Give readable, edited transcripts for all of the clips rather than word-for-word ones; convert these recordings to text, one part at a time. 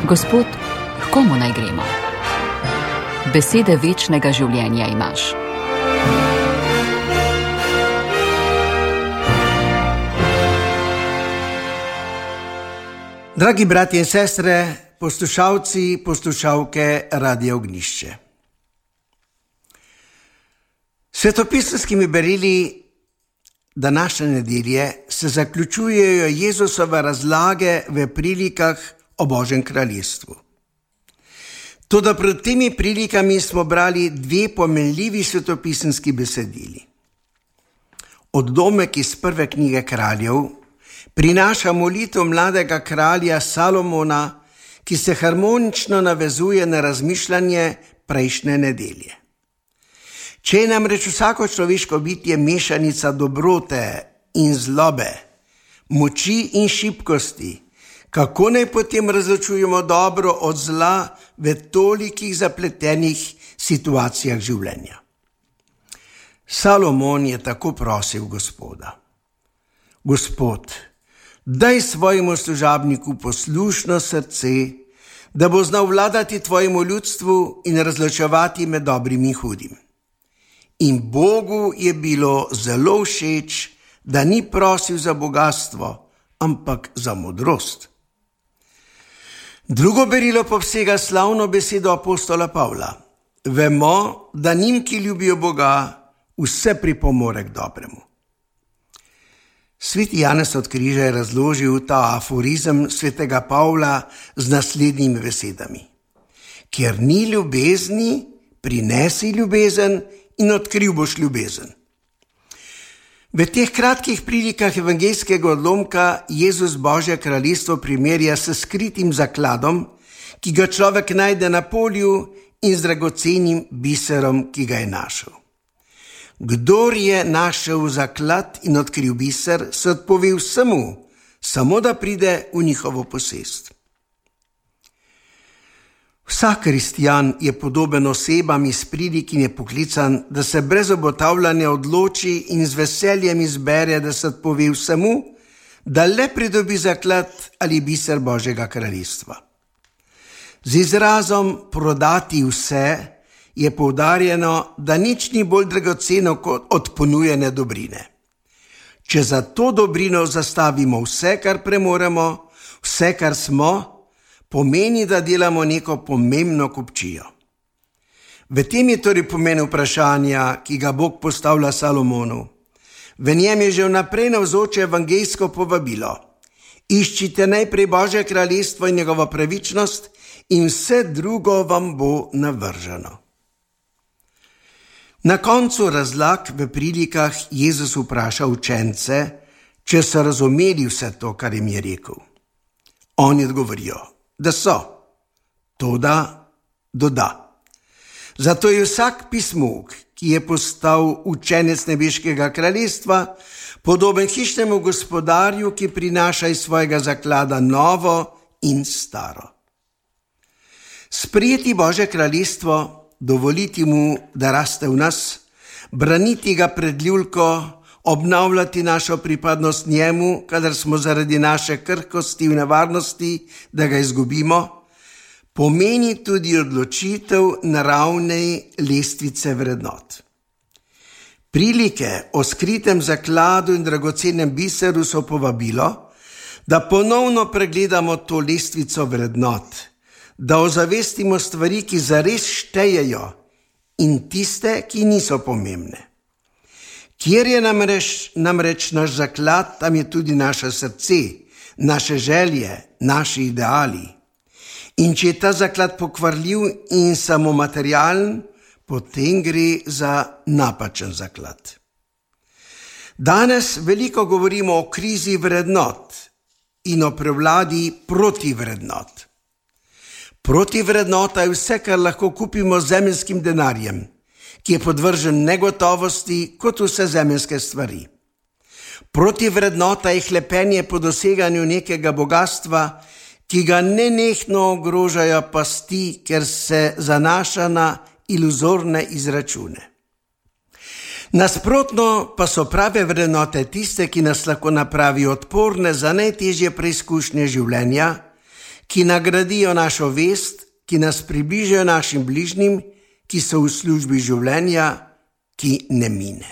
Gospod, h komu naj gremo? Besede večnega življenja imaš. Dragi bratje in sestre, poslušalci, poslušalke Radia Ognjišče. Svetopisemskimi berili današnje nedelje se zaključujejo Jezusove razlage v prilikah o Božjem kraljestvu. Toda pred temi prilikami smo brali dve pomenljivi svetopisemski besedili. Odlomek iz prve knjige Kraljev prinaša molitev mladega kralja Salomona, ki se harmonično navezuje na razmišljanje prejšnje nedelje. Če je namreč vsako človeško bitje mešanica dobrote in zlobe, moči in šibkosti, kako naj potem razločujemo dobro od zla v tolikih zapletenih situacijah življenja? Salomon je tako prosil Gospoda: Gospod, daj svojemu služabniku poslušno srce, da bo znal vladati tvojemu ljudstvu in razločevati med dobrim in hudim. In Bogu je bilo zelo všeč, da ni prosil za bogastvo, ampak za modrost. Drugo berilo povsega slavno besedo apostola Pavla: vemo, da njim, ki ljubijo Boga, vse pripomore k dobremu. Sveti Janez od Križa je razložil ta aforizem svetega Pavla z naslednjimi besedami: kjer ni ljubezni, prinesi ljubezen in odkril boš ljubezen. V teh kratkih prilikah evangeljskega odlomka Jezus Božje kraljestvo primerja s skritim zakladom, ki ga človek najde na polju, in z dragocenim biserom, ki ga je našel. Kdor je našel zaklad in odkril biser, se odpove vsemu, samo da pride v njihovo posest. Vsak kristjan je podoben osebam iz prilik in je poklican, da se brez obotavljanja odloči in z veseljem izbere, da se odpove vsemu, da le pridobi zaklad ali biser Božjega kraljestva. Z izrazom prodati vse je poudarjeno, da nič ni bolj dragoceno kot od ponujene dobrine. Če za to dobrino zastavimo vse, kar premoremo, vse, kar smo, pomeni, da delamo neko pomembno kupčijo. V tem je torej pomen vprašanja, ki ga Bog postavlja Salomonu. V njem je že vnaprej navzoče evangeljsko povabilo: iščite najprej Božje kraljestvo in njegovo pravičnost in vse drugo vam bo navrženo. Na koncu razlag v prilikah Jezus vpraša učence, če so razumeli vse to, kar jim je rekel. Oni odgovorijo, da so, toda doda: zato je vsak pismuk, ki je postal učenec nebeškega kraljestva, podoben hišnemu gospodarju, ki prinaša iz svojega zaklada novo in staro. Sprejeti Božje kraljestvo, dovoliti mu, da raste v nas, braniti ga pred ljulko, obnavljati našo pripadnost njemu, kadar smo zaradi naše krhkosti v nevarnosti, da ga izgubimo, pomeni tudi odločitev naravne lestvice vrednot. Prilike o skritem zakladu in dragocenem biseru so povabilo, da ponovno pregledamo to lestvico vrednot, da ozavestimo stvari, ki zares štejejo, in tiste, ki niso pomembne. Kjer je namreč naš zaklad, tam je tudi naše srce, naše želje, naši ideali. In če je ta zaklad pokvarljiv in samo materialen, potem gre za napačen zaklad. Danes veliko govorimo o krizi vrednot in o prevladi protivrednot. Protivrednota je vse, kar lahko kupimo z zemeljskim denarjem, ki je podvržen negotovosti kot vse zemeljske stvari. Protivrednota je hlepenje po doseganju nekega bogastva, ki ga nenehno ogrožajo pasti, ker se zanaša na iluzorne izračune. Nasprotno pa so prave vrednote tiste, ki nas lahko napravijo odporne za najtežje preizkušnje življenja, ki nagradijo našo vest, ki nas približajo našim bližnjim, ki so v službi življenja, ki ne mine.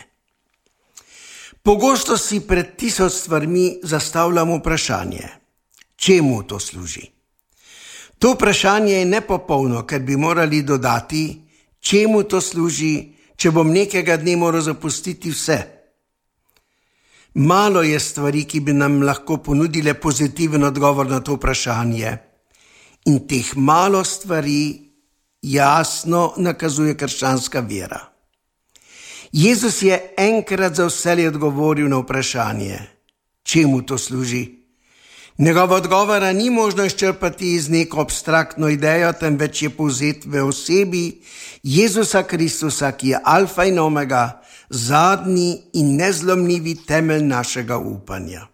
Pogosto si pred 1000 stvarmi zastavljamo vprašanje, čemu to služi? To vprašanje je nepopolno, ker bi morali dodati, čemu to služi, če bom nekega dne moral zapustiti vse. Malo je stvari, ki bi nam lahko ponudile pozitiven odgovor na to vprašanje. In teh malo stvari jasno nakazuje krščanska vera. Jezus je enkrat za vselej odgovoril na vprašanje, čemu to služi. Njegova odgovora ni možno izčrpati iz neko abstraktno idejo, temveč je povzet v osebi Jezusa Kristusa, ki je alfa in omega, zadnji in nezlomljivi temelj našega upanja.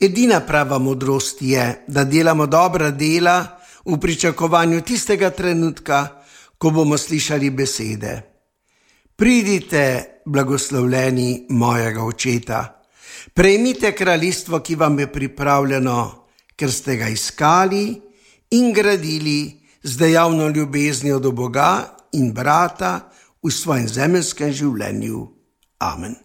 Edina prava modrost je, da delamo dobra dela v pričakovanju tistega trenutka, ko bomo slišali besede: Pridite, blagoslovljeni mojega očeta, prejmite kraljestvo, ki vam je pripravljeno, ker ste ga iskali in gradili z dejavno ljubeznijo do Boga in brata v svojem zemeljskem življenju. Amen.